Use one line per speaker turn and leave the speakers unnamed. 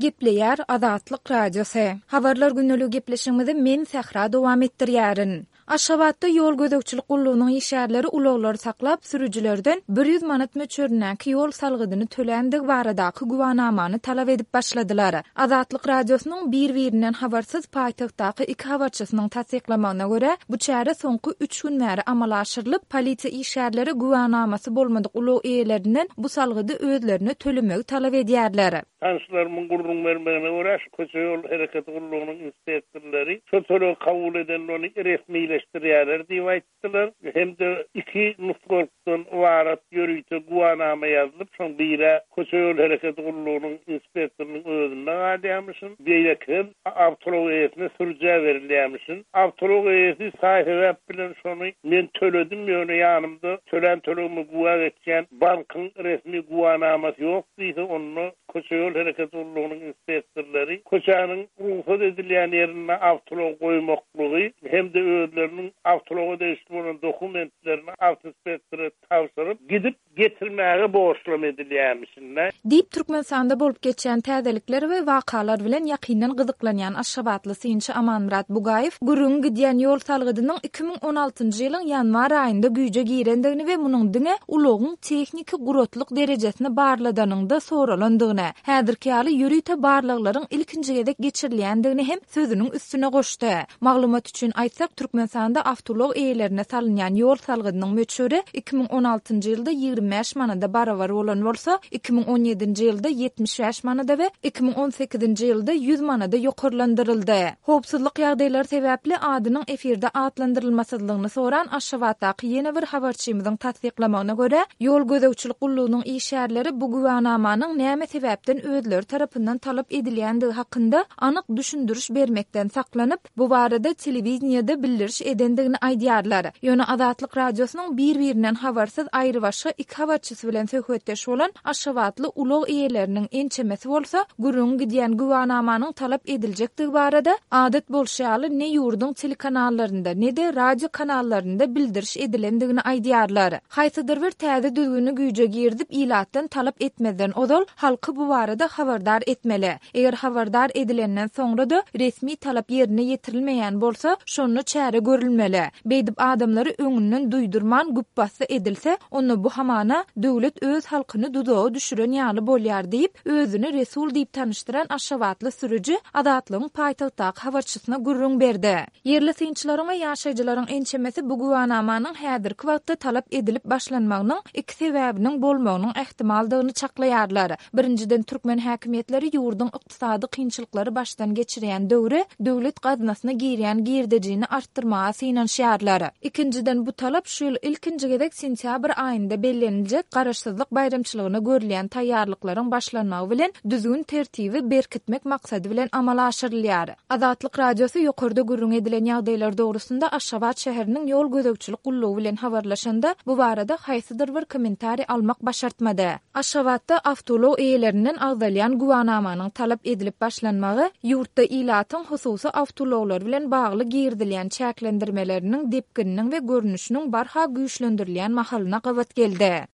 Gepleýär Azatlyk Radiosy. Habarlar gündeligi gepleşigimizi men Sähra dowam etdirýärin. Aşgabatda ýol gözegçilik gullugynyň işgärleri ulaglary saklap, sürüjilerden 100 manat möçberindäki ýol salgydyny töländigi baradaky güwanamany talap edip başladylar. Azatlyk Radiosynyň bir-birinden habarsyz paýtagtdaky iki habarçysynyň tassyklamagyna görä, bu çäre soňky üç gün bäri amala aşyrylyp, polisiýa işgärleri güwänamasy bolmadyk ulag eýelerinden bu salgydy özlerine tölemegi talap edýärler.
Tanyşlarymyň gürrüň bermegine görä, şu köçe-ýol hereketi gullugynyň inspektorlary şo tölegi kabul edende ony resmileşdirýärler diýip aýtdylar hem-de iki nusgalykdan ybarat ýörite güwanama ýazylyp, şoň biri köçe-ýol hereketi gullugynyň inspektorynyň özünde galýarmyşyn, beýlekisem awtoulag eýesine sürüjä berilýärmişin. Awtoulag eýesi saý-sebäp bilen şony men töledim, ýöne ýanymda tölän tölegime güwä geçýän bankyň resmi güwänamasy ýok diýse, onda köçe-ýol hereketi gullugynyň inspektorlary köçäniň rugsat edilýän ýerinde awtoulag goýmaklygy hem-de özleriniň awtoulaga degişli bolan dokumentlerini awtoinspektora tabşyryp, gidip getirmäge borçlam edilýärmişin-dä.
Diýip, Türkmenistanda bolup geçýän täzelikler we wakalar bilen ýakyndan gyzyklanýan aşgabatly synçy Amanmyrat Bugaýew gürrüňi gidýän ýol salgydynyň 2016-njy ýylyň ýanwar aýynda güýje girendigini we munuň diňe ulagyň tehniki guratlyk derejesini barladanyňda soralandygyny, häzirki ýaly ýörite barlaglaryň ilkinji gezek geçirilýändigini hem sözüniň üstüne goşdy. Maglumat üçin aýtsak, Türkmenistanda awtoulag eýelerine salynýan ýol salgydynyň möçberi 2016-njy ýylda 25 manada barabar bolan bolsa, 2017-nji ýylda 75 manada we 2018-nji ýylda 100 manada ýokarlandyryldy. Howpsuzlyk ýagdaýlary sebäpli adynyň efirde atlandyrylmasyzlygyny soran Aşgabatdaky ýene bir habarçymyzyň tassyklamagyna görä, ýol gözegçilik gullugynyň işgärleri bu güwänamanyň näme sebäpden özleri tarapyndan talap edilýändigi hakynda anyk düşündiriş bermekden saklanyp, bu barada telewideniýede bildiriş edendigini aýdýarlar. Ýöne Azatlyk Radiosynyň bir-birinden habarsyz aýrybaşga iki habarçysy bilen söhbetdeş bolan aşgabatly ulag eýeleriniň ençemesi bolsa, gürrüňi gidýän güwanamanyň talap ediljekdigi barada, adat bolşy ýaly, ne ýurduň telekanallarynda, ne-de radio kanallarynda bildiriş edilendigini aýdýarlar. Haýsydyr bir täze düzgüni güýje girizip, ilatdan talap etmezden ozal, halky bu barada habardar etmeli. Eger habardar edilenden soňra-da resmi talap ýerine ýetirilmeýän bolsa, şonda çäre görülmeli. Beýdip adamlary öňünden duýdurman güpbasdy edilse, onda bu hamana döwlet öz halkyny duzaga düşüren ýaly bolýar diýip, özüni Resul diýip tanyşdyran aşgabatly sürüji Azatlygyň paýtagtdaky habarçysyna gürrüň berdi. Ýerli synçylaryň we ýaşaýjylaryň ençemesi bu güwanamanyň häzirki wagtda talap edilip başlanmagynyň iki sebäbiniň bolmagynyň ähtimaldygyny çaklaýarlar. Birinjiden, türkmen häkimiýetleri ýurduň ykdysady kynçylyklary başdan geçirýän döwri döwlet gaznasyna girýän girdejini artdyrmaga synanyşýarlar. Ikinjiden, bu talap şu ýyl ilkinji gezek sentýabr aýynda belleniljek Garaşsyzlyk baýramçylygyna görülýän taýýarlyklaryň başlanmagy bilen düzgün-tertibi berkitmek maksady bilen amala aşyrylýar. Azatlyk Radiosy ýokarda gürrüň edilen ýagdaýlar dogrusynda Aşgabat şäheriniň ýol gözegçilik gullugy bilen habarlaşanda, bu barada haýsydyr bir kommentariý almak başartmady. Aşgabatda awtoulag eýelerinden agzalýan güwanamanyň talap edilip başlanmagy ýurtda ilatyň hususy awtoulaglary bilen bagly girizilýän çäklendirmeleriniň depgininiň we görnüşiniň barha güýçlendirilýän mahalyna gabat geldi.